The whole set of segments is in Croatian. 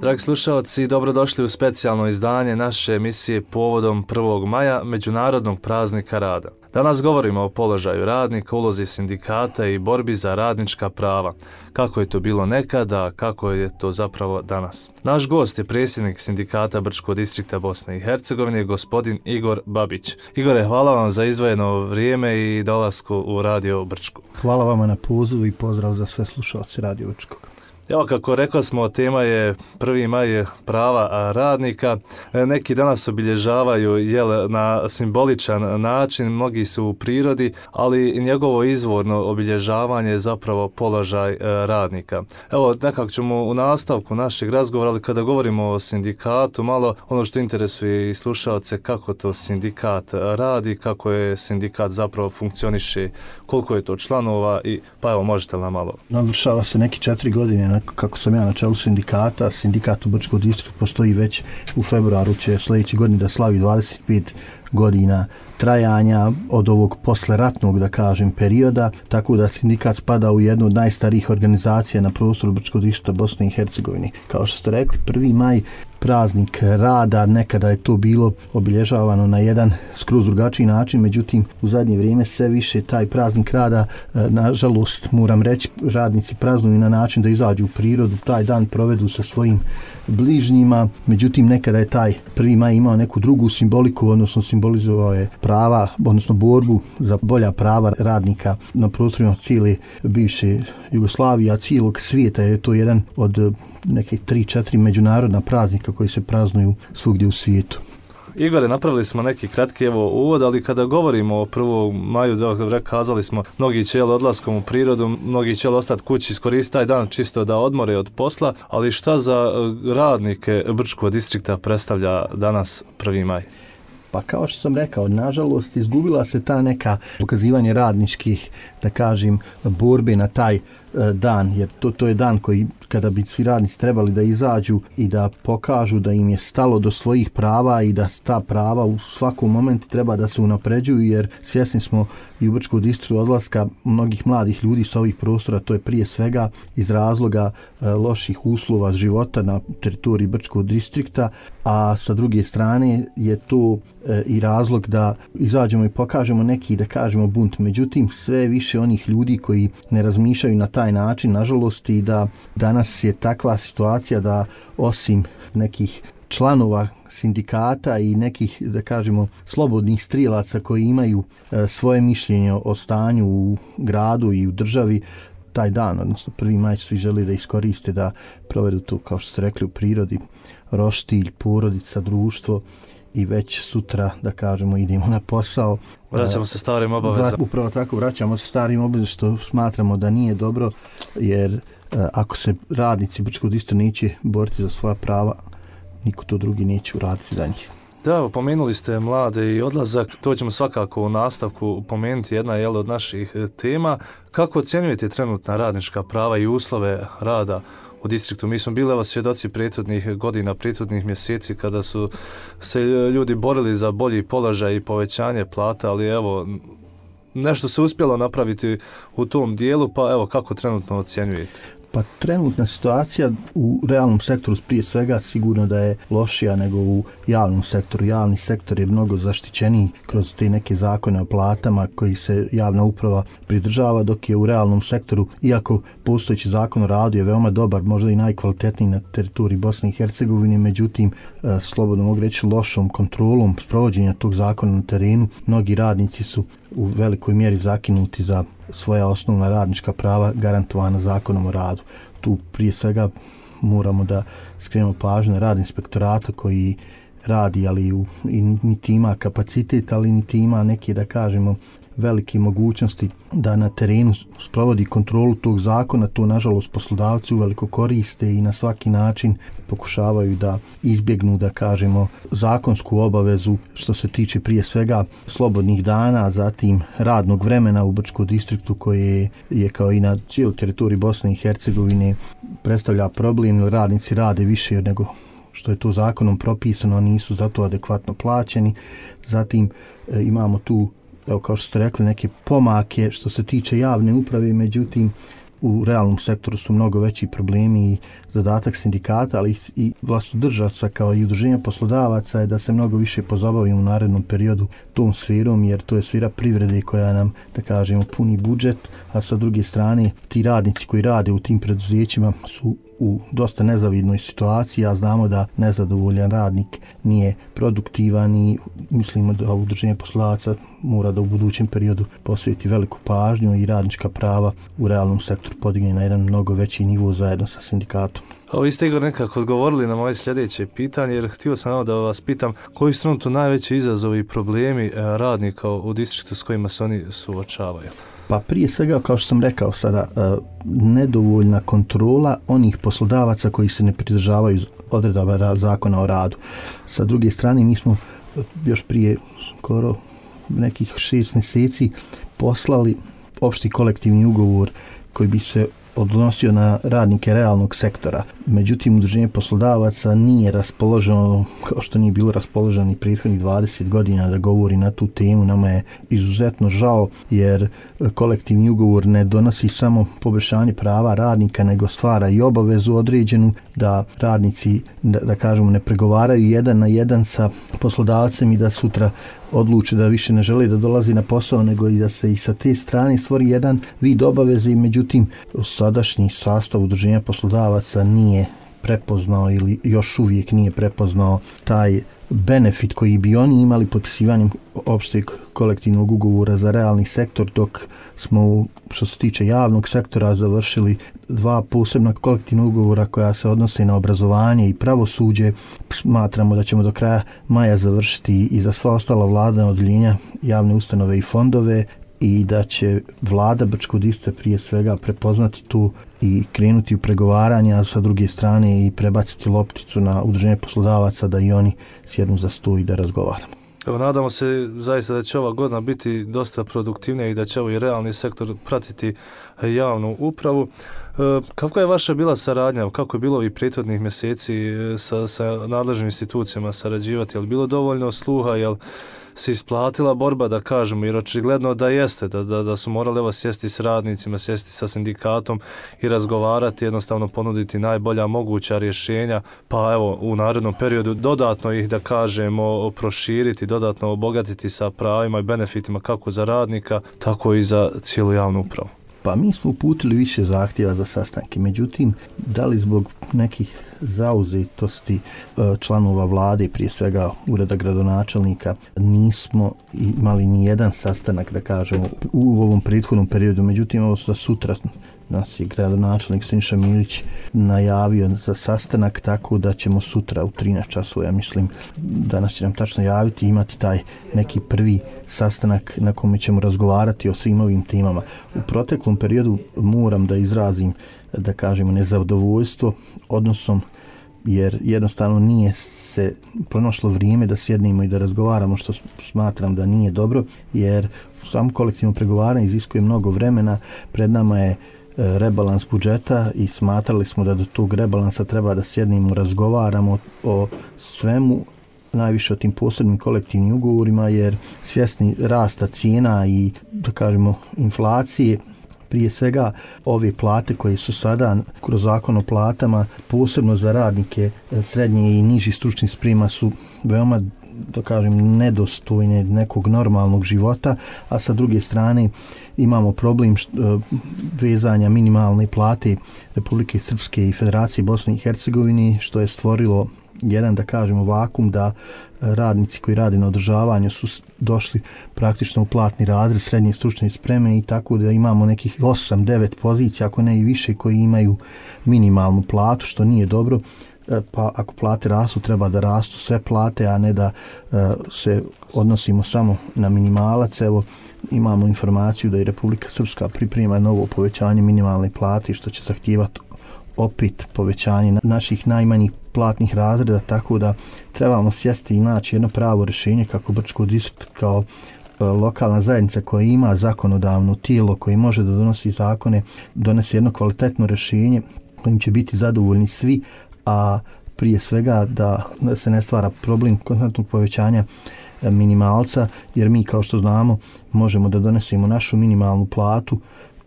Dragi slušalci, dobrodošli u specijalno izdanje naše emisije povodom 1. maja, Međunarodnog praznika rada. Danas govorimo o položaju radnika, ulozi sindikata i borbi za radnička prava. Kako je to bilo nekada, kako je to zapravo danas. Naš gost je predsjednik sindikata Brčkog distrikta Bosne i Hercegovine, gospodin Igor Babić. Igore, hvala vam za izdvojeno vrijeme i dolasku u Radio Brčko. Hvala vama na pozivu i pozdrav za sve slušalce Radio Brčkog. Evo, kako rekao smo, tema je 1. maj prava radnika. Neki danas obilježavaju na simboličan način, mnogi su u prirodi, ali njegovo izvorno obilježavanje je zapravo položaj radnika. Evo, nekako ćemo u nastavku našeg razgovora, ali kada govorimo o sindikatu, malo ono što interesuje i slušalce, kako to sindikat radi, kako je sindikat zapravo funkcioniše, koliko je to članova i pa evo, možete li nam malo? Navršava se neki 4 godine kako sam ja na čelu sindikata. Sindikat u Brčkom distriktu postoji već u februaru, će sljedeće godine da slavi 25 godina trajanja od ovog posleratnog, da kažem, perioda, tako da sindikat spada u jednu od najstarijih organizacija na prostoru Brčkog distrikta Bosne i Hercegovine. Kao što ste rekli, 1. maj, praznik rada, nekada je to bilo obilježavano na jedan skroz drugačiji način, međutim u zadnje vrijeme sve više taj praznik rada, nažalost moram reći, radnici praznuju na način da izađu u prirodu, taj dan provedu sa svojim bližnjima, međutim nekada je taj 1. maj imao neku drugu simboliku, odnosno simbolizovao je prava, odnosno borbu za bolja prava radnika na prostorima cijele bivše Jugoslavije, a cijelog svijeta, jer je to jedan od nekih 3-4 međunarodna praznika koji se praznuju svugdje u svijetu. Igore, napravili smo neki kratki uvod, ali kada govorimo o 1. maju, kazali smo, mnogi će odlaskom u prirodu, mnogi će ostati kući, iskoristiti taj dan čisto da odmore od posla, ali šta za radnike Brčkog distrikta predstavlja danas 1. maj? Pa kao što sam rekao, nažalost izgubila se ta neka pokazivanje radničkih, da kažem, borbe na taj dan, jer to je dan koji kada bi svi radnici trebali da izađu i da pokažu da im je stalo do svojih prava i da ta prava u svakom momentu treba da se unapređuju, jer svjesni smo i u Brčkom distriktu odlaska mnogih mladih ljudi sa ovih prostora, to je prije svega iz razloga loših uslova života na teritoriji Brčkog distrikta, a sa druge strane je to i razlog da izađemo i pokažemo neki, da kažemo, bunt. Međutim, sve više onih ljudi koji ne razmišljaju na taj način, nažalost, i da danas je takva situacija da osim nekih članova sindikata i nekih, da kažemo, slobodnih strijelaca koji imaju svoje mišljenje o stanju u gradu i u državi, taj dan, odnosno 1. maj, svi žele da iskoriste, da provedu to, kao što ste rekli, u prirodi, roštilj, porodica, društvo, i već sutra, da kažemo, idemo na posao. Vraćamo se starim obavezama. Upravo tako, vraćamo se starim obavezama, što smatramo da nije dobro, jer ako se radnici Brčkog distrikta neće boriti za svoja prava, niko to drugi neće uraditi za njih. Da, pomenuli ste mlade i odlazak, to ćemo svakako u nastavku pomenuti, jedna je od naših tema. Kako ocjenjujete trenutna radnička prava i uslove rada u distriktu? Mi smo bili svjedoci prethodnih godina, prethodnih mjeseci kada su se ljudi borili za bolji položaj i povećanje plata, ali evo, nešto se uspjelo napraviti u tom dijelu, pa evo, kako trenutno ocjenjujete? Pa trenutna situacija u realnom sektoru prije svega sigurno da je lošija nego u javnom sektoru. Javni sektor je mnogo zaštićeniji kroz te neke zakone o platama koji se javna uprava pridržava, dok je u realnom sektoru, iako postojeći zakon o radu je veoma dobar, možda i najkvalitetniji na teritoriji Bosne i Hercegovine, međutim, slobodno mogu reći, lošom kontrolom sprovođenja tog zakona na terenu, mnogi radnici su u velikoj mjeri zakinuti za svoja osnovna radnička prava garantovana zakonom o radu. Tu prije svega moramo da skrenemo pažnju na rad inspektorata koji radi, ali niti ima kapacitet, ali niti ima neke, da kažemo, velike mogućnosti da na terenu sprovodi kontrolu tog zakona. To nažalost poslodavci uveliko koriste i na svaki način pokušavaju da izbjegnu, da kažemo, zakonsku obavezu što se tiče prije svega slobodnih dana, zatim radnog vremena u Brčkom distriktu koje je kao i na cijeloj teritoriji Bosne i Hercegovine predstavlja problem, jer radnici rade više nego što je to zakonom propisano, nisu za to adekvatno plaćeni. Zatim imamo tu, evo kao što ste rekli, neke pomake što se tiče javne uprave, međutim u realnom sektoru su mnogo veći problemi i zadatak sindikata, ali i vlastodržaca kao i udruženja poslodavaca je da se mnogo više pozabavimo u narednom periodu tom sferom, jer to je sfera privrede koja nam, da kažemo, puni budžet, a sa druge strane ti radnici koji rade u tim preduzećima su u dosta nezavidnoj situaciji, a znamo da nezadovoljan radnik nije produktivan i mislimo da udruženje poslodavaca mora da u budućem periodu posveti veliku pažnju i radnička prava u realnom sektoru podigne na jedan mnogo veći nivo zajedno sa sindikatom. Vi ste, Igor, nekako odgovorili na moje sljedeće pitanje, jer htio sam da vas pitam koji su trenutno najveći izazovi i problemi radnika u distriktu s kojima se oni suočavaju? Pa prije svega, kao što sam rekao sada, nedovoljna kontrola onih poslodavaca koji se ne pridržavaju odredaba zakona o radu. Sa druge strane, mi smo još prije skoro nekih 6 mjeseci poslali opšti kolektivni ugovor koji bi se odnosio na radnike realnog sektora. Međutim, udruženje poslodavaca nije raspoloženo, kao što nije bilo raspoloženo i prethodnih 20 godina da govori na tu temu. Nama je izuzetno žao, jer kolektivni ugovor ne donosi samo poboljšanje prava radnika, nego stvara i obavezu određenu da radnici, da kažemo, ne pregovaraju jedan na jedan sa poslodavcem i da sutra odluče da više ne žele da dolazi na posao, nego i da se i sa te strane stvori jedan vid obaveze. Međutim, sadašnji sastav udruženja poslodavaca nije prepoznao ili još uvijek nije prepoznao taj benefit koji bi oni imali potpisivanjem opšteg kolektivnog ugovora za realni sektor, dok smo, što se tiče javnog sektora, završili 2 posebna kolektivna ugovora koja se odnose na obrazovanje i pravosuđe. Smatramo da ćemo do kraja maja završiti i za sva ostala vladina odjeljenja, javne ustanove i fondove, i da će vlada Brčkog distrikta prije svega prepoznati tu i krenuti u pregovaranja, a sa druge strane i prebaciti lopticu na udruženje poslodavaca da i oni sjednu za stol i da razgovaramo. Evo, nadamo se zaista da će ova godina biti dosta produktivnija i da će ovaj realni sektor pratiti javnu upravu. Kako je vaša bila saradnja, kako je bilo ovih prethodnih mjeseci sa nadležnim institucijama sarađivati? Je li bilo dovoljno sluha, je li se isplatila borba, da kažemo, jer očigledno da jeste, da su morali evo sjesti s radnicima, sjesti sa sindikatom i razgovarati, jednostavno ponuditi najbolja moguća rješenja, pa evo u narednom periodu dodatno ih, da kažemo, proširiti, dodatno obogatiti sa pravima i benefitima kako za radnika, tako i za cijelu javnu upravu. Pa mi smo uputili više zahtjeva za sastanke, međutim, da li zbog nekih zauzetosti članova vlade, prije svega ureda gradonačelnika, nismo imali ni jedan sastanak, da kažemo, u ovom prethodnom periodu. Međutim, ovo za sutra nas je gradonačelnik Siniša Milić najavio za sastanak, tako da ćemo sutra u 13 časova, ja mislim, danas će nam tačno javiti, imati taj neki prvi sastanak na kome ćemo razgovarati o svim ovim temama. U proteklom periodu moram da izrazim, da kažemo, nezadovoljstvo odnosom, jer jednostavno nije se pronašlo vrijeme da sjednemo i da razgovaramo, što smatram da nije dobro, jer samo kolektivno pregovaranje iziskuje mnogo vremena. Pred nama je rebalans budžeta i smatrali smo da do tog rebalansa treba da sjednemo, razgovaramo o svemu, najviše o tim posebnim kolektivnim ugovorima, jer svjesni rasta cijena i, da kažemo, inflacije, prije svega ove plate koje su sada kroz zakon o platama, posebno za radnike srednje i nižih stručnih sprema, su veoma, da kažem, nedostojne nekog normalnog života, a sa druge strane imamo problem vezanja minimalne plate Republike Srpske i Federacije Bosne i Hercegovine, što je stvorilo jedan, da kažemo, vakum da radnici koji rade na održavanju su došli praktično u platni razred srednje stručne spreme, i tako da imamo nekih 8-9 pozicija, ako ne i više, koji imaju minimalnu platu, što nije dobro. Pa ako plate rastu, treba da rastu sve plate, a ne da se odnosimo samo na minimalac. Evo, imamo informaciju da i Republika Srpska priprema novo povećanje minimalne plate, što će zahtijevati opet povećanje naših najmanjih platnih razreda, tako da trebamo sjesti i naći jedno pravo rješenje kako Brčko distrikt kao lokalna zajednica koja ima zakonodavno tijelo koji može da donosi zakone, donese jedno kvalitetno rješenje kojim će biti zadovoljni svi, a prije svega da se ne stvara problem konstantnog povećanja minimalca, jer mi, kao što znamo, možemo da donesemo našu minimalnu platu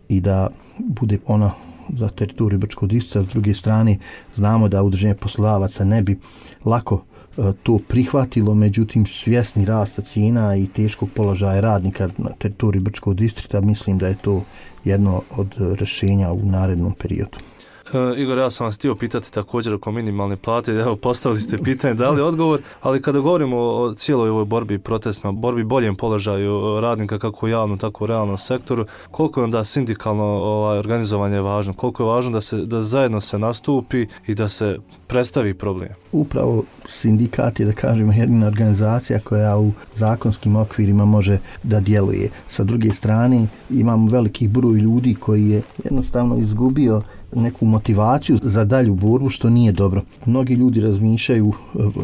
i da bude ona za teritoriju Brčkog distrikta. S druge strane, znamo da udruženje poslodavaca ne bi lako to prihvatilo, međutim svjesni rasta cijena i teškog položaja radnika na teritoriji Brčkog distrikta, mislim da je to jedno od rješenja u narednom periodu. Igor, ja sam vas htio pitati također oko minimalne plate, evo postavili ste pitanje, dali odgovor, ali kada govorimo o cijeloj ovoj borbi protestno, borbi boljem položaju radnika kako u javnom, tako u realnom sektoru, koliko je onda sindikalno organizovanje važno, koliko je važno da zajedno se nastupi i da se predstavi problem? Upravo sindikat je, da kažemo, jedina organizacija koja u zakonskim okvirima može da djeluje. Sa druge strane, imamo veliki broj ljudi koji je jednostavno izgubio neku motivaciju za dalju borbu, što nije dobro. Mnogi ljudi razmišljaju,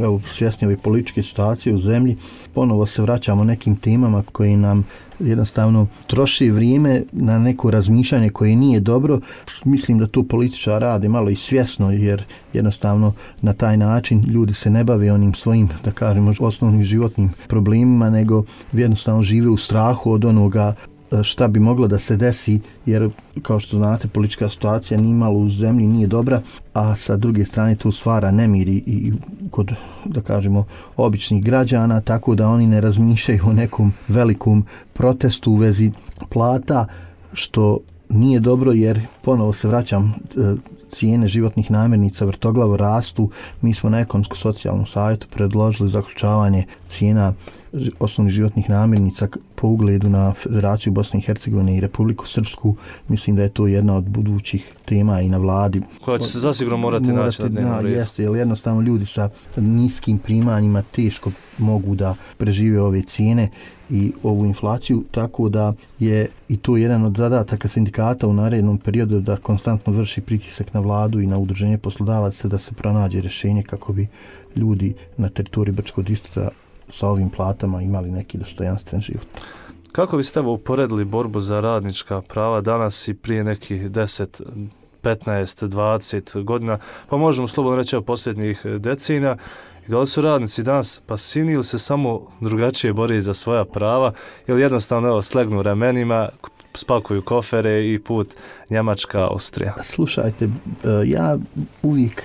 evo, svjesni ove političke situacije u zemlji, ponovo se vraćamo nekim temama koji nam jednostavno troši vrijeme na neko razmišljanje koje nije dobro. Mislim da to političari rade malo i svjesno, jer jednostavno na taj način ljudi se ne bave onim svojim, da kažemo, osnovnim životnim problemima, nego jednostavno žive u strahu od onoga šta bi moglo da se desi, jer kao što znate, politička situacija nimalo u zemlji nije dobra, a sa druge strane to stvara nemir i kod, da kažemo, običnih građana, tako da oni ne razmišljaju o nekom velikom protestu u vezi plata, što nije dobro, jer ponovo se vraćam, cijene životnih namirnica vrtoglavo rastu. Mi smo na ekonomsko-socijalnom savjetu predložili zaključavanje cijena osnovnih životnih namirnica po ugledu na Federaciju Bosne i Hercegovine i Republiku Srpsku. Mislim da je to jedna od budućih tema i na vladi. Koja će se zasigurno morati naći na dnevnom redu. Jeste, jer jednostavno ljudi sa niskim primanjima teško mogu da prežive ove cijene i ovu inflaciju, tako da je i to jedan od zadataka sindikata u narednom periodu, da konstantno vrši pritisak na vladu i na udruženje poslodavaca da se pronađe rješenje kako bi ljudi na teritoriji Brčkog distrikta sa ovim platama imali neki dostojanstven život. Kako biste uporedili borbu za radnička prava danas i prije nekih 10, 15, 20 godina, pa možemo slobodno reći o posljednjih decenija, i da li su radnici danas pasivni ili se samo drugačije bore za svoja prava, ili jednostavno slegnu ramenima, spakuju kofere i put Njemačka, Austrija? Slušajte, ja uvijek,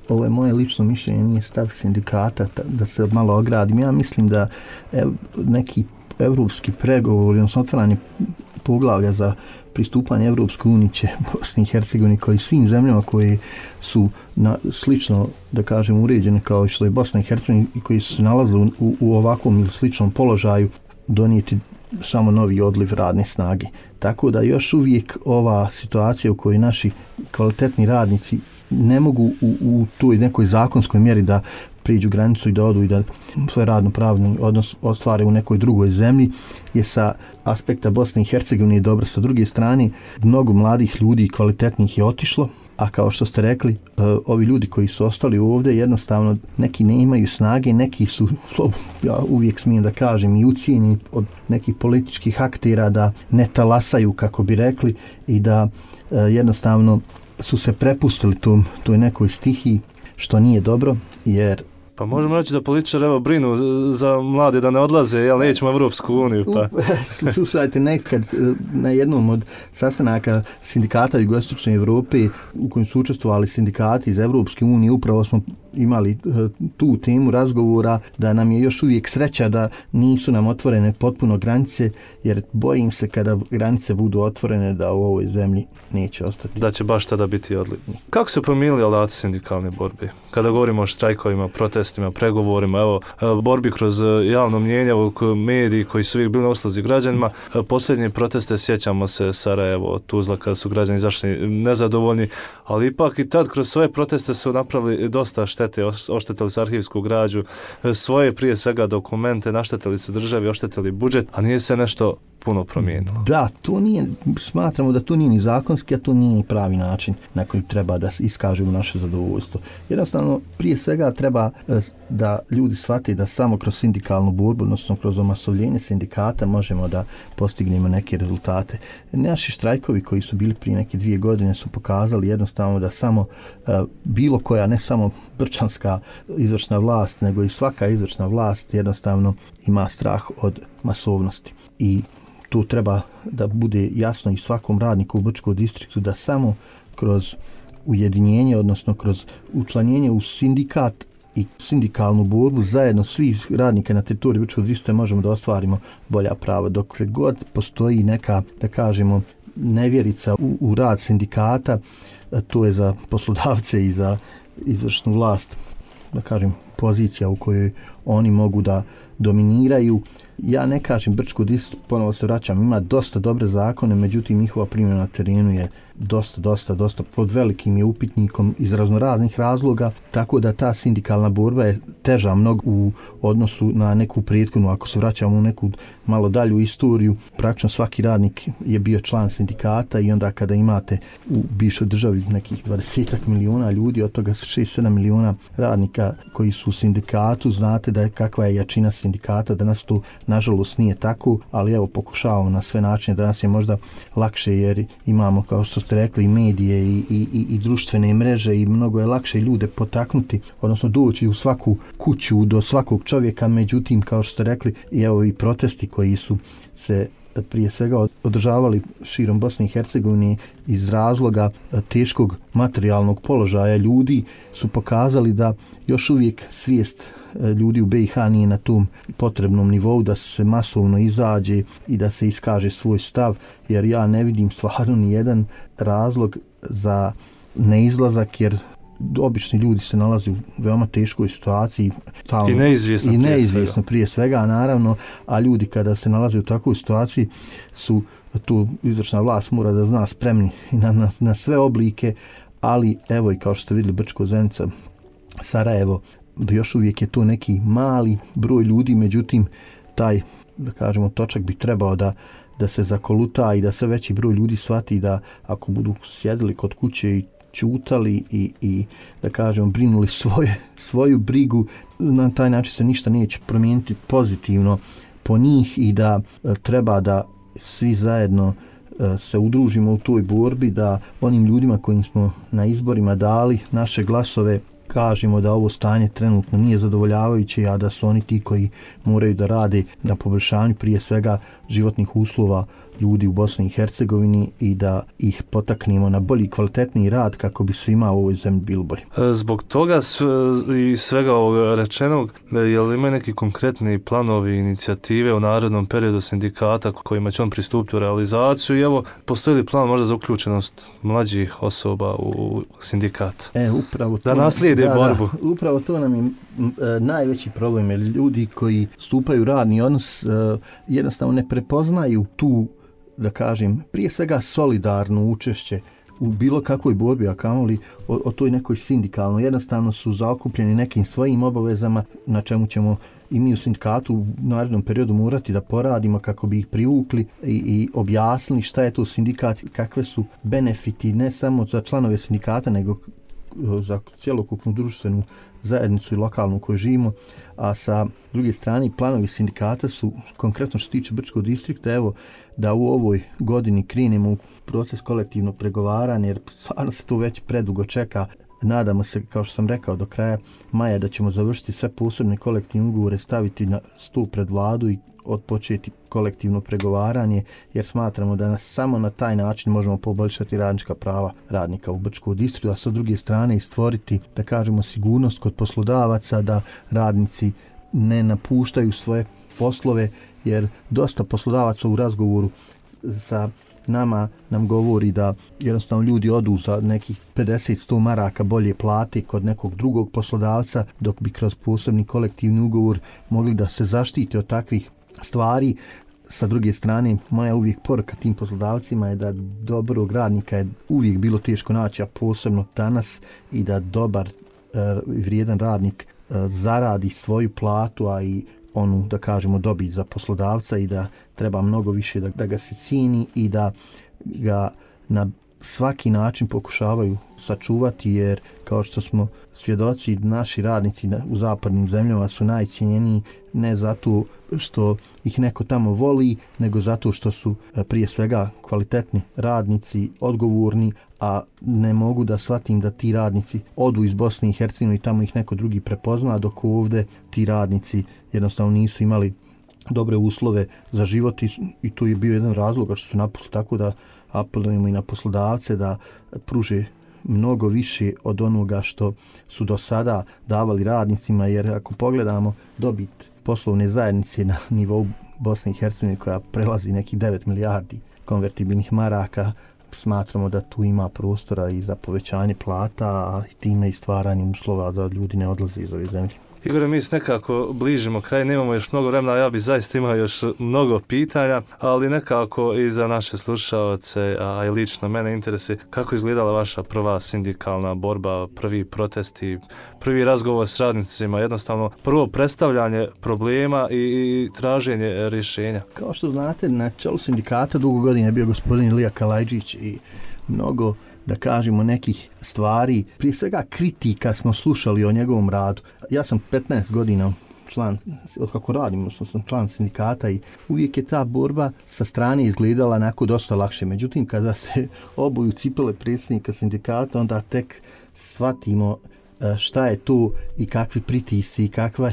ovo je moje lično mišljenje, nije stav sindikata, da se malo ogradim. Ja mislim da neki evropski pregovori, odnosno otvaranje poglavlja za pristupanje Evropskoj uniji će Bosni i Hercegovini, kao i svim zemljama koje su slično, da kažem, uređene kao što je Bosna i Hercegovina i koji su se nalazili u ovakvom ili sličnom položaju, donijeti samo novi odliv radne snage. Tako da još uvijek ova situacija u kojoj naši kvalitetni radnici ne mogu u toj nekoj zakonskoj mjeri da priđu granicu i da odu i da svoj radno-pravni odnos ostvare u nekoj drugoj zemlji, je sa aspekta Bosne i Hercegovine dobro. Sa druge strane, mnogo mladih ljudi i kvalitetnih je otišlo, a kao što ste rekli, ovi ljudi koji su ostali ovdje, jednostavno neki ne imaju snage, neki su, ja uvijek smijem da kažem, i ucijenjeni od nekih političkih aktera da ne talasaju, kako bi rekli, i da jednostavno su se prepustili toj nekoj stihiji, što nije dobro, jer pa možemo reći da političari evo brinu za mlade da ne odlaze, jel nećemo u Evropsku uniju, pa. Slušajte, nekad na jednom od sastanaka sindikata Jugoistočne Evrope u kojem su učestvovali sindikati iz Evropske unije, upravo smo imali tu temu razgovora da nam je još uvijek sreća da nisu nam otvorene potpuno granice, jer bojim se kada granice budu otvorene da u ovoj zemlji neće ostati. Da će baš tada biti odliv. Kako se promijenili alati sindikalne borbe? Kada govorimo o štrajkovima, protestima, pregovorima, evo, borbi kroz javno mnjenje, mediji koji su uvijek bili na usluzi građanima, posljednje proteste sjećamo se Sarajevo, Tuzla, kada su građani izašli nezadovoljni, ali ipak i tad kroz svoje proteste su napravili dosta štete, oštetili se arhivsku građu, svoje prije svega dokumente, naštetili se državi, oštetili budžet, a nije se nešto puno promijenilo. Da, to nije, smatramo da to nije ni zakonski, a to nije ni pravi način na koji treba da iskažemo naše zadovoljstvo. Jednostavno, prije svega treba da ljudi shvate da samo kroz sindikalnu borbu, odnosno kroz omasovljenje sindikata možemo da postignemo neke rezultate. Naši štrajkovi koji su bili prije neke 2 godine su pokazali jednostavno da samo bilo koja, ne samo gračanska izvršna vlast, nego i svaka izvršna vlast jednostavno ima strah od masovnosti. I tu treba da bude jasno i svakom radniku u Brčkom distriktu da samo kroz ujedinjenje, odnosno kroz učlanjenje u sindikat i sindikalnu borbu zajedno svih radnika na teritoriji Brčkog distrikta možemo da ostvarimo bolja prava. Dokle god postoji neka, da kažemo, nevjerica u rad sindikata, to je za poslodavce i za izvršnu vlast, da kažem, pozicija u kojoj oni mogu da dominiraju. Ja ne kažem Brčko distrikt, ponovo se vraćam, ima dosta dobre zakone, međutim njihova primjena na terenu je dosta pod velikim je upitnikom iz raznoraznih razloga, tako da ta sindikalna borba je teža mnogo u odnosu na neku prethodnu. Ako se vraćamo u neku malo dalju istoriju, praktično svaki radnik je bio član sindikata i onda kada imate u bivšoj državi nekih 20 miliona ljudi, od toga 6-7 miliona radnika koji su u sindikatu, znate da je kakva je jačina sindikata. Danas to nažalost nije tako, ali evo pokušavamo na sve načine. Danas je možda lakše jer imamo, kao što ste rekli, i medije i društvene mreže i mnogo je lakše ljude potaknuti, odnosno doći u svaku kuću do svakog čovjeka. Međutim, kao što ste rekli, i evo i protesti koji su se prije svega održavali širom Bosne i Hercegovine iz razloga teškog materijalnog položaja ljudi, su pokazali da još uvijek svijest ljudi u BiH nije na tom potrebnom nivou da se masovno izađe i da se iskaže svoj stav, jer ja ne vidim stvarno ni jedan razlog za neizlazak, jer obični ljudi se nalaze u veoma teškoj situaciji i neizvjesno prije svega, naravno, a ljudi kada se nalaze u takvoj situaciji su tu izvršna vlast mora da zna spremni na sve oblike, ali evo i kao što ste vidjeli Brčko, Zenica, Sarajevo, još uvijek je to neki mali broj ljudi, međutim taj, da kažemo, točak bi trebao da se zakoluta i da sve veći broj ljudi shvati da ako budu sjedili kod kuće i čutali i da kažemo brinuli svoju brigu, na taj način se ništa neće promijeniti pozitivno po njih i da treba da svi zajedno se udružimo u toj borbi, da onim ljudima kojim smo na izborima dali naše glasove kažemo da ovo stanje trenutno nije zadovoljavajuće, a da su oni ti koji moraju da rade na poboljšanju prije svega životnih uslova ljudi u Bosni i Hercegovini i da ih potaknemo na bolji, kvalitetniji rad kako bi svima u ovoj zemlji bilo bolje. Zbog toga i svega ovog rečenog, je li ima neki konkretni planovi, inicijative u narednom periodu sindikata kojima će on pristupiti u realizaciju i evo, postoji li plan možda za uključenost mlađih osoba u sindikat? Upravo da naslijede borbu. Upravo to nam je najveći problem, jer ljudi koji stupaju u radni odnos jednostavno ne prepoznaju tu, da kažem, prije svega solidarno učešće u bilo kakvoj borbi, a kamoli o toj nekoj sindikalnoj. Jednostavno su zaokupljeni nekim svojim obavezama na čemu ćemo i mi u sindikatu u narednom periodu morati da poradimo kako bi ih privukli i objasnili šta je to sindikat, kakve su benefiti ne samo za članove sindikata nego za cjelokupnu društvenu zajednicu i lokalnu u kojoj živimo, a sa druge strane planovi sindikata su konkretno što se tiče Brčkog distrikta, evo da u ovoj godini krenemo u proces kolektivnog pregovaranja, jer stvarno se to već predugo čeka. Nadamo se, kao što sam rekao, do kraja maja da ćemo završiti sve posebne kolektivne ugovore, staviti na stol pred vladu i odpočeti kolektivno pregovaranje, jer smatramo da samo na taj način možemo poboljšati radnička prava radnika u Brčkom distriktu, a sa druge strane i stvoriti, da kažemo, sigurnost kod poslodavaca da radnici ne napuštaju svoje poslove, jer dosta poslodavaca u razgovoru sa nama nam govori da jednostavno ljudi odu za nekih 50-100 maraka bolje plate kod nekog drugog poslodavca, dok bi kroz posebni kolektivni ugovor mogli da se zaštite od takvih stvari. Sa druge strane, moja uvijek poruka tim poslodavcima je da dobrog radnika je uvijek bilo teško naći, a posebno danas, i da dobar vrijedan radnik zaradi svoju platu, a i onu, da kažemo, dobit za poslodavca, i da treba mnogo više da ga se cijeni i da ga na svaki način pokušavaju sačuvati, jer kao što smo svjedoci, naši radnici u zapadnim zemljama su najcijenjeniji ne zato što ih neko tamo voli, nego zato što su prije svega kvalitetni radnici, odgovorni, a ne mogu da shvatim da ti radnici odu iz Bosne i Hercegovine i tamo ih neko drugi prepozna, dok ovdje ti radnici jednostavno nisu imali dobre uslove za život i to je bio jedan razlog što su napustili, tako da apelujemo i na poslodavce da pruže mnogo više od onoga što su do sada davali radnicima, jer ako pogledamo dobit poslovne zajednice na nivou Bosne i Hercegovine koja prelazi nekih 9 milijardi konvertibilnih maraka, smatramo da tu ima prostora i za povećanje plata, a time i stvaranje uslova da ljudi ne odlaze iz ove zemlje. Igore, mi se nekako bližimo kraj, nemamo još mnogo vremena, ja bi zaista imao još mnogo pitanja, ali nekako i za naše slušaoce, a i lično mene interesuje kako izgledala vaša prva sindikalna borba, prvi protesti, prvi razgovor s radnicima, jednostavno prvo predstavljanje problema i traženje rješenja. Kao što znate, na čelu sindikata dugo godina je bio gospodin Ilija Kalajđić i mnogo, da kažemo, nekih stvari, prije svega kritika smo slušali o njegovom radu. Ja sam 15 godina član, od kako radim, sam član sindikata i uvijek je ta borba sa strane izgledala onako dosta lakše. Međutim, kada se obuju cipele predsjednika sindikata, onda tek shvatimo šta je tu i kakvi pritisci i kakva,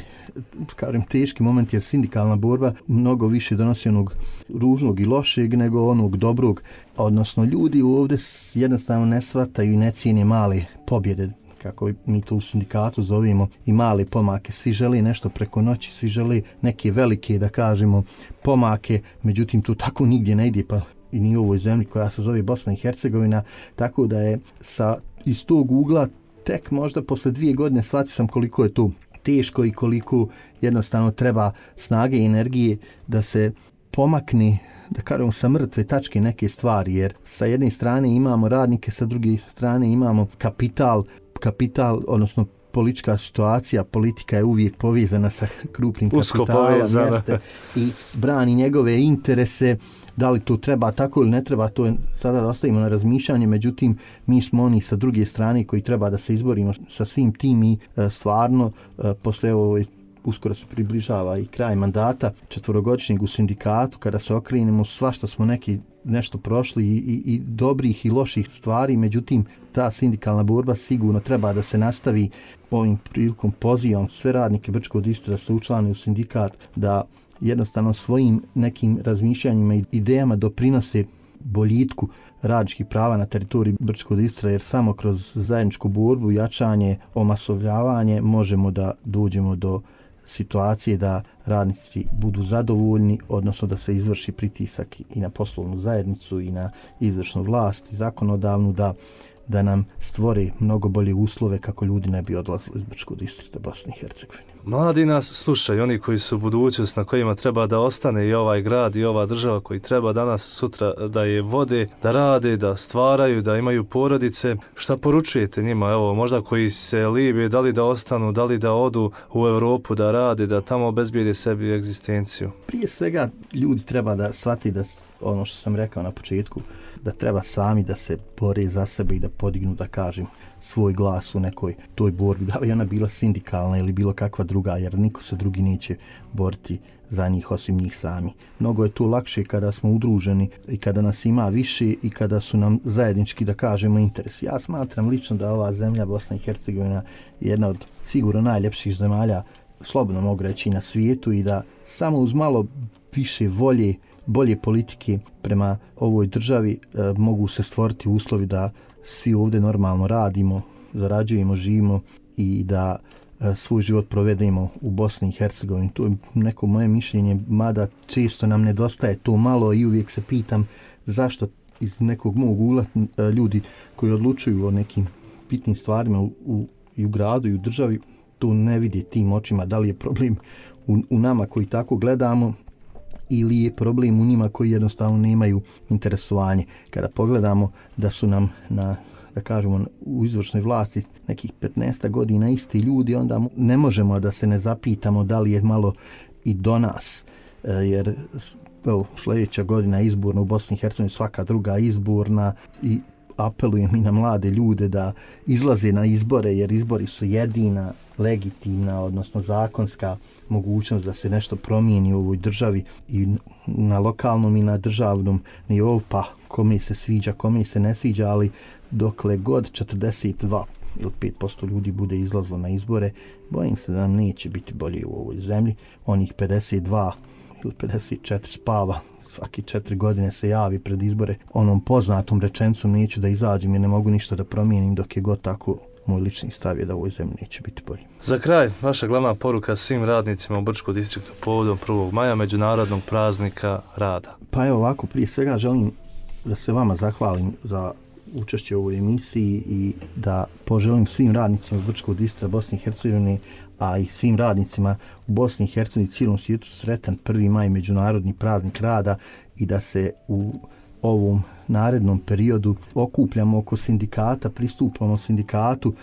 kažem, teški moment, jer sindikalna borba mnogo više donosi onog ružnog i lošeg nego onog dobrog. Odnosno, ljudi ovdje jednostavno ne shvataju i ne cijene male pobjede, kako mi to u sindikatu zovemo, i male pomake. Svi žele nešto preko noći, svi žele neke velike, da kažemo, pomake, međutim tu tako nigdje ne ide, pa i ni u ovoj zemlji koja se zove Bosna i Hercegovina, tako da je iz tog ugla tek možda posle 2 godine shvatio sam koliko je to teško i koliko jednostavno treba snage i energije da se pomakne, da kažemo, sa mrtve tačke neke stvari, jer sa jedne strane imamo radnike, sa druge strane imamo kapital, odnosno politička situacija, politika je uvijek povezana sa krupnim kapitalom i brani njegove interese. Da li to treba tako ili ne treba, to je sada da ostavimo na razmišljanje, međutim mi smo oni sa druge strane koji treba da se izborimo sa svim tim i stvarno posle uskoro se približava i kraj mandata 4-godišnjeg u sindikatu, kada se okrenemo, svašta smo nešto prošli i dobrih i loših stvari, međutim ta sindikalna borba sigurno treba da se nastavi. Ovim prilikom pozivam sve radnike Brčkog distrikta da se učlane u sindikat, da jednostavno svojim nekim razmišljanjima i idejama doprinose boljitku radničkih prava na teritoriji Brčkog distrikta, jer samo kroz zajedničku borbu, jačanje, omasovljavanje možemo da dođemo do situacije da radnici budu zadovoljni, odnosno da se izvrši pritisak i na poslovnu zajednicu i na izvršnu vlast i zakonodavnu da nam stvore mnogo bolje uslove kako ljudi ne bi odlazili iz Brčkog distrikta Bosne i Hercegovine. Mladi nas slušaju, oni koji su budućnost, na kojima treba da ostane i ovaj grad i ova država, koji treba danas sutra da je vode, da rade, da stvaraju, da imaju porodice. Šta poručujete njima, evo, možda koji se libe, da li da ostanu, da li da odu u Europu da rade, da tamo obezbijede sebi egzistenciju? Prije svega ljudi treba da shvati da ono što sam rekao na početku, da treba sami da se bore za sebe i da podignu, da kažem, svoj glas u nekoj toj borbi, da li ona bila sindikalna ili bilo kakva druga, jer niko se drugi neće boriti za njih osim njih sami. Mnogo je to lakše kada smo udruženi i kada nas ima više i kada su nam zajednički, da kažemo, interesi. Ja smatram lično da ova zemlja, Bosna i Hercegovina, je jedna od sigurno najljepših zemalja, slobodno mogu reći, na svijetu, i da samo uz malo više volje, bolje politike prema ovoj državi mogu se stvoriti uslovi da svi ovdje normalno radimo, zarađujemo, živimo i da svoj život provedemo u Bosni i Hercegovini. To je neko moje mišljenje, mada često nam nedostaje to malo i uvijek se pitam zašto iz nekog mog ugla ljudi koji odlučuju o nekim bitnim stvarima u gradu i u državi to ne vidi tim očima. Da li je problem u nama koji tako gledamo ili je problem u njima koji jednostavno nemaju interesovanje. Kada pogledamo da su nam da kažemo, u izvršnoj vlasti nekih 15 godina isti ljudi, onda ne možemo da se ne zapitamo da li je malo i do nas. Jer sljedeća godina izborna u Bosni i Hercegovini, svaka druga izborna, i apelujem i na mlade ljude da izlaze na izbore, jer izbori su jedina legitimna, odnosno zakonska mogućnost da se nešto promijeni u ovoj državi i na lokalnom i na državnom nivou, pa kome se sviđa, kome se ne sviđa, ali dokle god 42 ili 5% ljudi bude izlazlo na izbore, bojim se da nam neće biti bolje u ovoj zemlji. Onih 52 ili 54 spava, svaki 4 godine se javi pred izbore onom poznatom rečencom neću da izađem jer ne mogu ništa da promijenim, dok je god tako. Moj lični stav je da u ovoj zemlji neće biti bolje. Za kraj, vaša glavna poruka svim radnicima u Brčkom distriktu povodom 1. maja, međunarodnog praznika rada. Pa evo ovako, prije svega želim da se vama zahvalim za učešće u ovoj emisiji i da poželim svim radnicima iz Brčkog distrikta Bosne i Hercegovine, a i svim radnicima u Bosni i Hercegovini i cijelom svijetu sretan 1. maj, međunarodni praznik rada, i da se u ovom narednom periodu okupljamo oko sindikata, pristupamo sindikatu,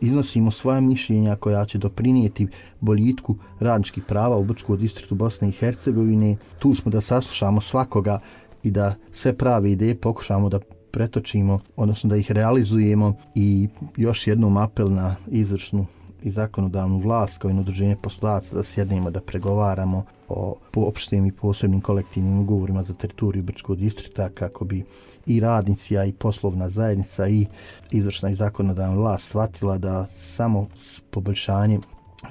iznosimo svoja mišljenja koja će doprinijeti boljitku radničkih prava u Brčkom distriktu Bosne i Hercegovine. Tu smo da saslušamo svakoga i da sve prave ideje pokušamo da pretočimo, odnosno da ih realizujemo. I još jednom apel na izvršnu i zakonodavnu vlast kao i na udruženje poslodavaca da sjednemo da pregovaramo o opštim i posebnim kolektivnim ugovorima za teritoriju Brčkog distrikta, kako bi i radnici, a i poslovna zajednica i izvršna i zakonodavna vlast shvatila da samo s poboljšanjem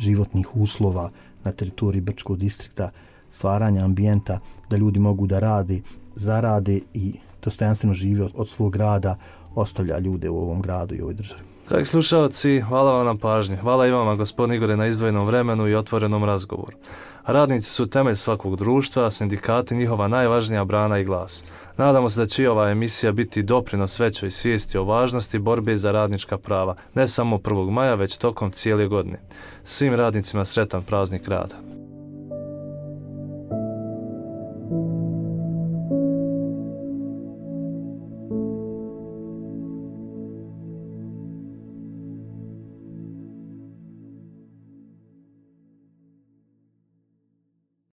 životnih uslova na teritoriji Brčkog distrikta, stvaranja ambijenta da ljudi mogu da rade, zarade i dostojanstveno žive od svog rada, ostavlja ljude u ovom gradu i ovoj državi. Dragi slušalci, hvala vam na pažnji. Hvala i vama, gospodin Igore, na izdvojenom vremenu i otvorenom razgovoru. Radnici su temelj svakog društva, sindikati njihova najvažnija brana i glas. Nadamo se da će ova emisija biti doprinos većoj svijesti o važnosti borbe za radnička prava, ne samo 1. maja, već tokom cijele godine. Svim radnicima sretan praznik rada.